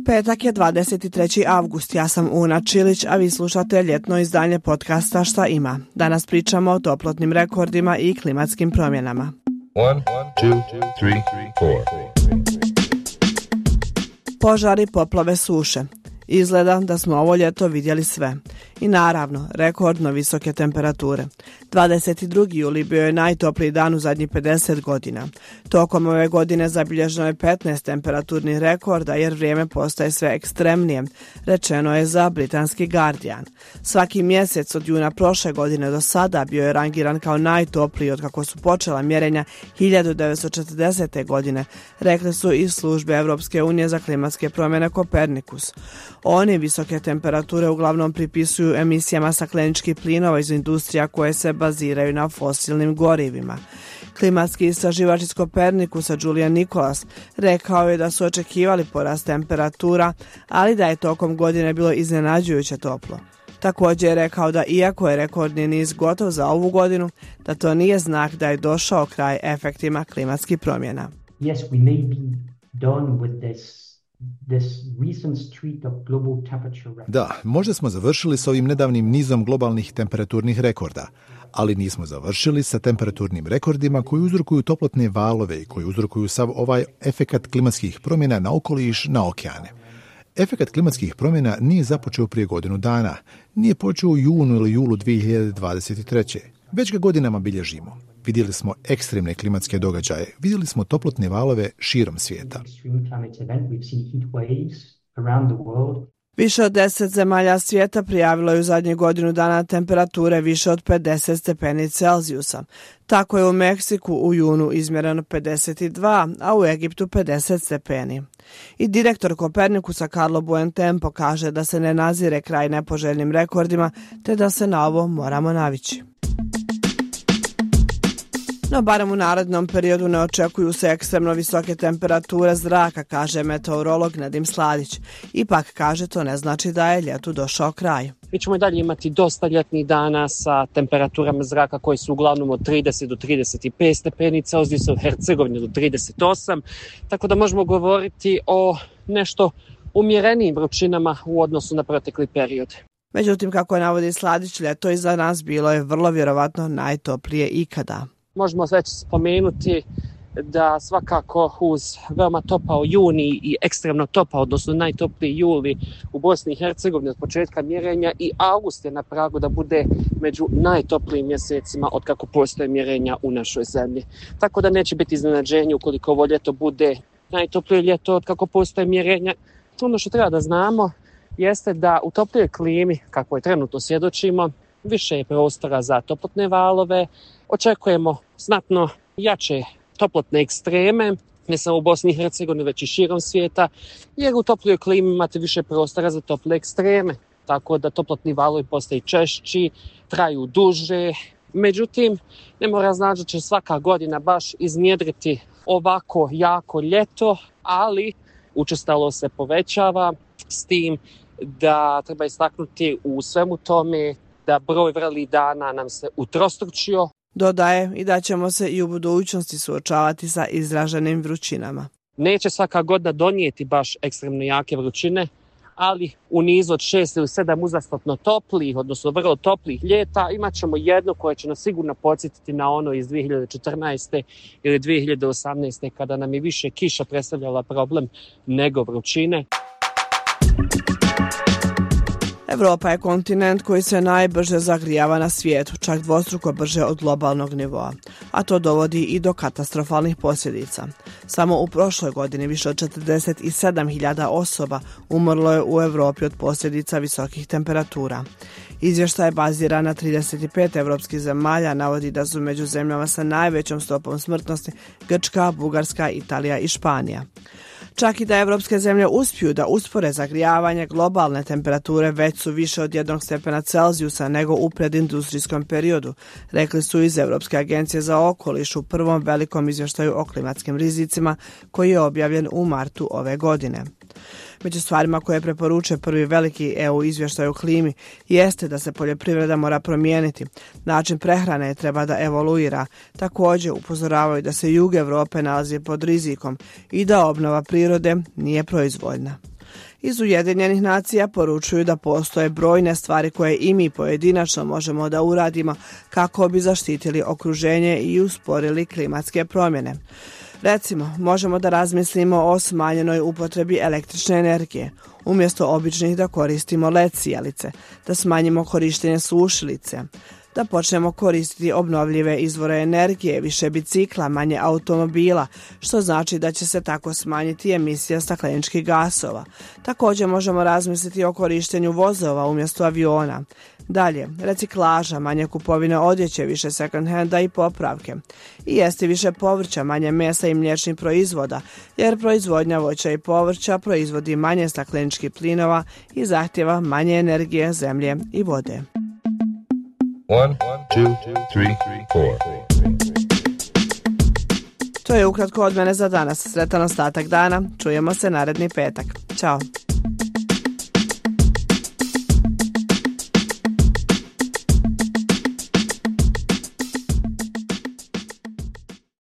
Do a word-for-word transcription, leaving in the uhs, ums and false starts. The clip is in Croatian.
Petak je dvadeset treći avgust, ja sam Una Čilić, a vi slušate ljetno izdanje podcasta Šta ima. Danas pričamo o toplotnim rekordima i klimatskim promjenama. One, two, three, four. Požari, poplave, suše. Izgleda da smo ovo ljeto vidjeli sve. I naravno, rekordno visoke temperature. dvadeset drugi juli bio je najtopliji dan u zadnjih pedeset godina. Tokom ove godine zabilježeno je petnaest temperaturnih rekorda jer vrijeme postaje sve ekstremnije, rečeno je za britanski Guardian. Svaki mjesec od juna prošle godine do sada bio je rangiran kao najtopliji od kako su počela mjerenja hiljadu devetsto četrdesete. godine, rekli su iz službe Europske unije za klimatske promjene Kopernikus. Oni visoke temperature uglavnom pripisuju emisijama stakleničkih plinova iz industrija koje se baziraju na fosilnim gorivima. Klimatski istraživač iz Kopernikusa Julian Nicholas rekao je da su očekivali porast temperatura, ali da je tokom godine bilo iznenađujuće toplo. Također je rekao da iako je rekordni niz gotov za ovu godinu, da to nije znak da je došao kraj efektima klimatskih promjena. Yes, we may be done with this. Da, možda smo završili s ovim nedavnim nizom globalnih temperaturnih rekorda, ali nismo završili sa temperaturnim rekordima koji uzrokuju toplotne valove i koji uzrokuju sav ovaj efekat klimatskih promjena na okoliš, na okeane. Efekat klimatskih promjena nije započeo prije godinu dana, nije počeo u junu ili julu dvije hiljade dvadeset treće. Već ga godinama bilježimo. Vidjeli smo ekstremne klimatske događaje, vidjeli smo toplotne valove širom svijeta. Više od deset zemalja svijeta prijavilo je u zadnjih godinu dana temperature više od pedeset stepeni Celzijusa. Tako je u Meksiku u junu izmjereno pedeset dva, a u Egiptu pedeset stepeni. I direktor Kopernikusa Carlo Buentempo kaže da se ne nazire kraj nepoželjnim rekordima, te da se na ovo moramo navići. No, barem u narednom periodu ne očekuju se ekstremno visoke temperature zraka, kaže meteorolog Nedim Sladić. Ipak, kaže, to ne znači da je ljetu došao kraj. Mi ćemo i dalje imati dosta ljetnih dana sa temperaturama zraka koji su uglavnom od trideset do trideset pet stepeni Celzijusa, u Hercegovini do trideset osam, tako da možemo govoriti o nešto umjerenijim vrućinama u odnosu na protekli period. Međutim, kako navodi Sladić, ljeto iza nas bilo je vrlo vjerovatno najtoplije ikada. Možemo već spomenuti da svakako uz veoma topao juni i ekstremno topao, odnosno najtopliji juli u Bosni i Hercegovini od početka mjerenja, i avgust je na pragu da bude među najtoplijim mjesecima od kako postoje mjerenja u našoj zemlji. Tako da neće biti iznenađenje ukoliko ovo ljeto bude najtoplije ljeto od kako postoje mjerenja. Ono što treba da znamo jeste da u toplijoj klimi, kako je trenutno svjedočimo, više je prostora za toplotne valove. Očekujemo znatno jače toplotne ekstreme, ne samo u Bosni i Hercegovini, već i širom svijeta, jer u toplijoj klimi imate više prostora za tople ekstreme, tako da toplotni valovi postaju češći, traju duže. Međutim, ne mora znači da će svaka godina baš iznjedriti ovako jako ljeto, ali učestalo se povećava, s tim da treba istaknuti u svemu tome da broj vrelih dana nam se utrostručio. Dodaje i da ćemo se i u budućnosti suočavati sa izraženim vrućinama. Neće svaka godina donijeti baš ekstremno jake vrućine, ali u nizu od šest ili sedam uzastopno toplih, odnosno vrlo toplih ljeta, imat ćemo jedno koje će nas sigurno podsjetiti na ono iz dvije hiljade četrnaeste. ili dvije hiljade osamnaeste. kada nam je više kiša predstavljala problem nego vrućine. Evropa je kontinent koji se najbrže zagrijava na svijetu, čak dvostruko brže od globalnog nivoa, a to dovodi i do katastrofalnih posljedica. Samo u prošloj godini više od četrdeset sedam hiljada osoba umrlo je u Europi od posljedica visokih temperatura. Izvještaj baziran na trideset pet evropskih zemalja navodi da su među zemljama sa najvećom stopom smrtnosti Grčka, Bugarska, Italija i Španija. Čak i da evropske zemlje uspiju da uspore zagrijavanje, globalne temperature već su više od jednog stepena Celzijusa nego u predindustrijskom periodu, rekli su iz Europske agencije za okoliš u prvom velikom izvještaju o klimatskim rizicima koji je objavljen u martu ove godine. Među stvarima koje preporučuje prvi veliki E U izvještaj o klimi jeste da se poljoprivreda mora promijeniti. Način prehrane treba da evoluira. Također upozoravaju da se jug Europe nalazi pod rizikom i da obnova prirode nije proizvoljna. Iz Ujedinjenih nacija poručuju da postoje brojne stvari koje i mi pojedinačno možemo da uradimo kako bi zaštitili okruženje i usporili klimatske promjene. Recimo, možemo da razmislimo o smanjenoj upotrebi električne energije. Umjesto običnih da koristimo el e de sijalice, da smanjimo korištenje sušilice, da počnemo koristiti obnovljive izvore energije, više bicikla, manje automobila, što znači da će se tako smanjiti emisija stakleničkih gasova. Također možemo razmisliti o korištenju vozova umjesto aviona. Dalje, reciklaža, manje kupovine odjeće, više second handa i popravke. I jesti više povrća, manje mesa i mliječnih proizvoda, jer proizvodnja voća i povrća proizvodi manje stakleničkih plinova i zahtjeva manje energije, zemlje i vode. One, two, three, four. To je ukratko od mene za danas. Sretan ostatak dana. Čujemo se naredni petak. Ćao.